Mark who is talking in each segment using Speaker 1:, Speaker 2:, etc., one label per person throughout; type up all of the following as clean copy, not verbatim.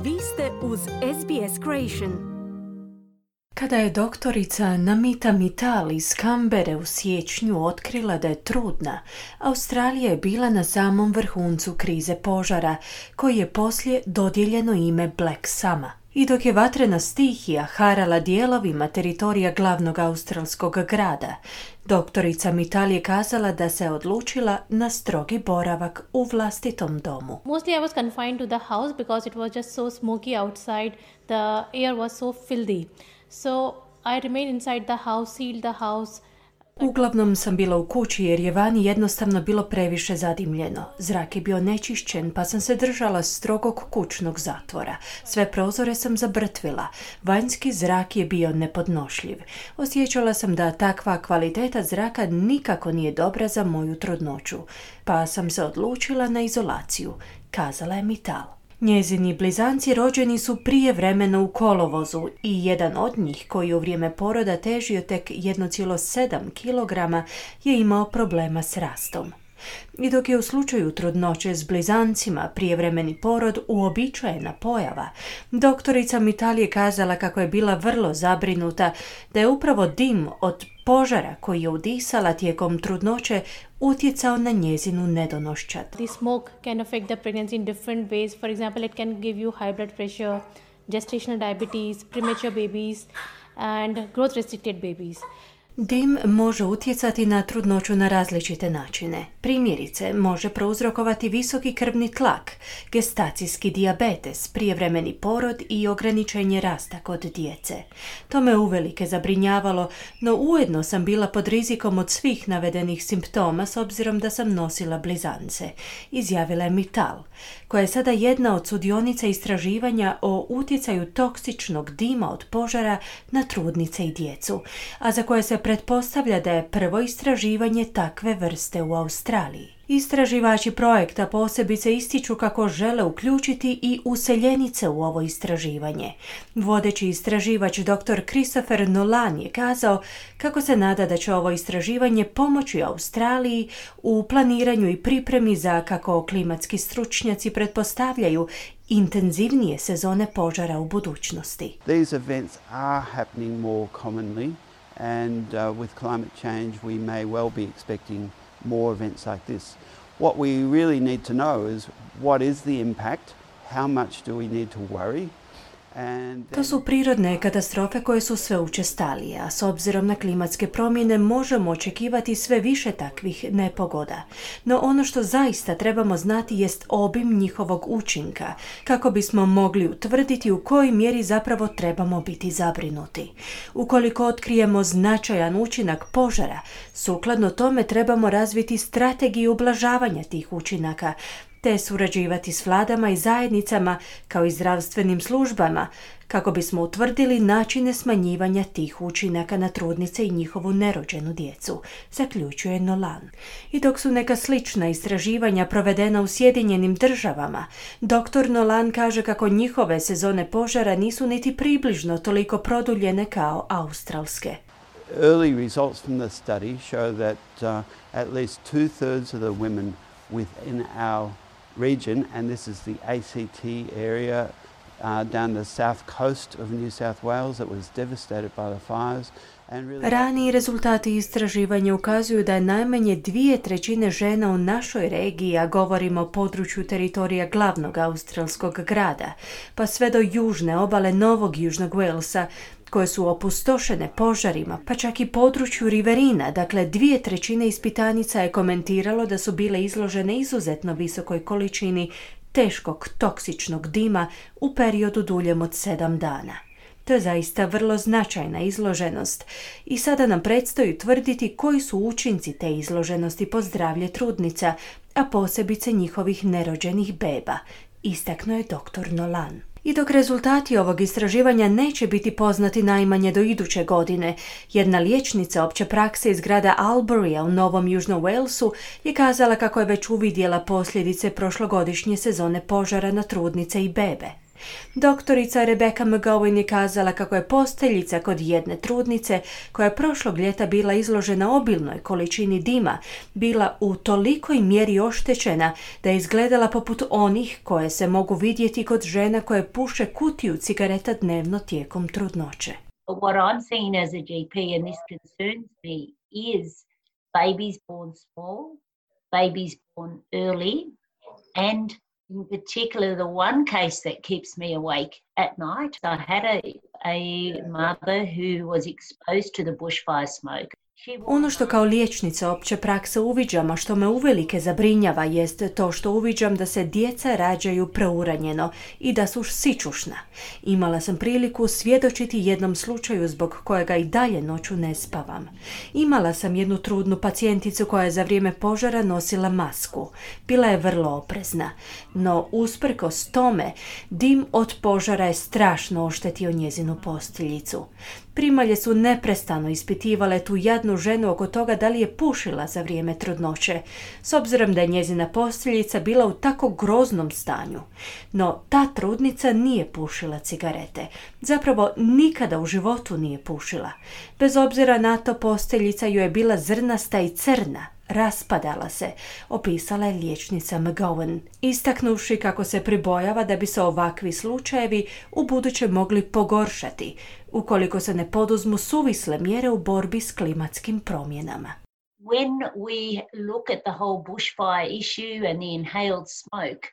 Speaker 1: Vi ste uz SBS Creation.
Speaker 2: Kada je doktorica Namita Mittal iz Canberre u siječnju otkrila da je trudna, Australija je bila na samom vrhuncu krize požara, koji je poslije dodijeljeno ime Black Summer. I dok je vatrena stihija harala dijelovima teritorija glavnog australskog grada, doktorica Mittal je kazala da se odlučila na strogi boravak u vlastitom domu.
Speaker 3: Mostly I was confined to the house because it was just so smoky outside. The air was so filthy. So I remained inside the house, sealed the house.
Speaker 2: Uglavnom sam bila u kući jer je vani jednostavno bilo previše zadimljeno. Zrak je bio nečišćen pa sam se držala strogog kućnog zatvora. Sve prozore sam zabrtvila. Vanjski zrak je bio nepodnošljiv. Osjećala sam da takva kvaliteta zraka nikako nije dobra za moju trudnoću. Pa sam se odlučila na izolaciju, kazala je Mittal. Njezini blizanci rođeni su prijevremeno u kolovozu i jedan od njih, koji u vrijeme poroda težio tek 1,7 kg, je imao problema s rastom. I dok je u slučaju trudnoće s blizancima prijevremeni porod uobičajena pojava, doktorica Mittal je kazala kako je bila vrlo zabrinuta da je upravo dim od požara koji je udisala tijekom trudnoće utjecao na njezinu nedonoščad.
Speaker 3: The smoke can affect the pregnancy in different ways. For example, it can give you high blood pressure, gestational diabetes, premature babies and growth restricted babies.
Speaker 2: Dim može utjecati na trudnoću na različite načine. Primjerice, može prouzrokovati visoki krvni tlak, gestacijski dijabetes, prijevremeni porod i ograničenje rasta kod djece. To me uvelike zabrinjavalo, no ujedno sam bila pod rizikom od svih navedenih simptoma s obzirom da sam nosila blizance, izjavila je Mittal, koja je sada jedna od sudionica istraživanja o utjecaju toksičnog dima od požara na trudnice i djecu, a za koje se pretpostavlja da je prvo istraživanje takve vrste u Australiji. Istraživači projekta posebice ističu kako žele uključiti i useljenice u ovo istraživanje. Vodeći istraživač dr. Christopher Nolan je kazao kako se nada da će ovo istraživanje pomoći Australiji u planiranju i pripremi za, kako klimatski stručnjaci pretpostavljaju, intenzivnije sezone požara u budućnosti.
Speaker 4: These events are happening more commonly. And with climate change, we may well be expecting more events like this. What we really need to know is what is the impact, how much do we need to worry.
Speaker 2: To su prirodne katastrofe koje su sve učestalije, a s obzirom na klimatske promjene možemo očekivati sve više takvih nepogoda. No ono što zaista trebamo znati jest obim njihovog učinka, kako bismo mogli utvrditi u kojoj mjeri zapravo trebamo biti zabrinuti. Ukoliko otkrijemo značajan učinak požara, sukladno tome trebamo razviti strategiju ublažavanja tih učinaka, te surađivati s vladama i zajednicama kao i zdravstvenim službama kako bismo utvrdili načine smanjivanja tih učinaka na trudnice i njihovu nerođenu djecu, zaključuje Nolan. I dok su neka slična istraživanja provedena u Sjedinjenim Državama, dr. Nolan kaže kako njihove sezone požara nisu niti približno toliko produljene kao australske.
Speaker 4: Early results from the study show that at least 2/3 of the women within our region, and this is the ACT area down the south coast of New South Wales that was devastated by the fires.
Speaker 2: Raniji rezultati istraživanja ukazuju da je najmanje 2/3 žena u našoj regiji, a govorimo o području teritorija glavnog australskog grada, pa sve do južne obale Novog Južnog Walesa, koje su opustošene požarima, pa čak i području Riverina, dakle 2/3 ispitanica je komentiralo da su bile izložene izuzetno visokoj količini teškog toksičnog dima u periodu duljem od 7 dana. To je zaista vrlo značajna izloženost i sada nam predstoji tvrditi koji su učinci te izloženosti po zdravlje trudnica, a posebice njihovih nerođenih beba, istaknuo je dr. Nolan. I dok rezultati ovog istraživanja neće biti poznati najmanje do iduće godine, jedna liječnica opće prakse iz grada Alburya u Novom Južnom Walesu je kazala kako je već uvidjela posljedice prošlogodišnje sezone požara na trudnice i bebe. Doktorica Rebecca McGowan je kazala kako je posteljica kod jedne trudnice, koja je prošlog ljeta bila izložena obilnoj količini dima, bila u tolikoj mjeri oštećena da je izgledala poput onih koje se mogu vidjeti kod žena koje puše kutiju cigareta dnevno tijekom trudnoće.
Speaker 5: What I'm seeing as a GP, and this concerns me, is babies born small, babies born early, and in particular the one case that keeps me awake at night. I had a mother who was exposed to the bushfire smoke.
Speaker 2: Ono što kao liječnica opće prakse uviđam, a što me uvelike zabrinjava, jest to što uviđam da se djeca rađaju preuranjeno i da su sićušna. Imala sam priliku svjedočiti jednom slučaju zbog kojega i dalje noću ne spavam. Imala sam jednu trudnu pacijenticu koja je za vrijeme požara nosila masku. Bila je vrlo oprezna, no usprkos tome dim od požara je strašno oštetio njezinu posteljicu. Primalje su neprestano ispitivale tu jadnu ženu oko toga da li je pušila za vrijeme trudnoće, s obzirom da je njezina posteljica bila u tako groznom stanju. No ta trudnica nije pušila cigarete. Zapravo nikada u životu nije pušila. Bez obzira na to, posteljica joj je bila zrnasta i crna. Raspadala se, opisala je liječnica McGowan, istaknuvši kako se pribojava da bi se ovakvi slučajevi u buduće mogli pogoršati, ukoliko se ne poduzmu suvisle mjere u borbi s klimatskim promjenama.
Speaker 5: When we look at the whole bushfire issue and the inhaled smoke,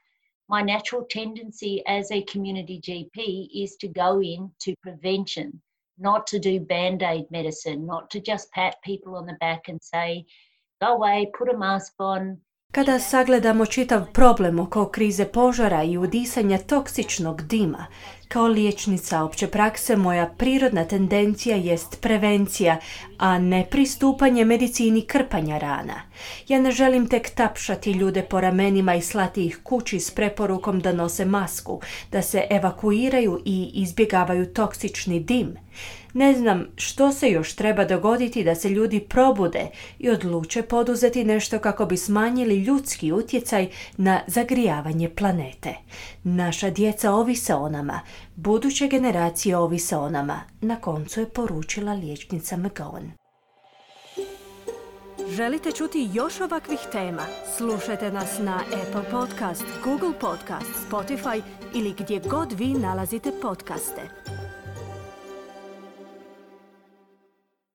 Speaker 5: my natural tendency as a community GP is to go into prevention, not to do band-aid medicine, not to just pat people on the back and say, go away, put a mask on.
Speaker 2: Kada sagledamo čitav problem oko krize požara i udisanja toksičnog dima, kao liječnica opće prakse moja prirodna tendencija jest prevencija, a ne pristupanje medicini krpanja rana. Ja ne želim tek tapšati ljude po ramenima i slati ih kući s preporukom da nose masku, da se evakuiraju i izbjegavaju toksični dim. Ne znam što se još treba dogoditi da se ljudi probude i odluče poduzeti nešto kako bi smanjili ljudski utjecaj na zagrijavanje planete. Naša djeca ovise o nama, buduće generacije ovise o nama, na koncu je poručila liječnica McGowan.
Speaker 1: Želite čuti još ovakvih tema? Slušajte nas na Apple Podcast, Google Podcast, Spotify ili gdje god vi nalazite podcaste.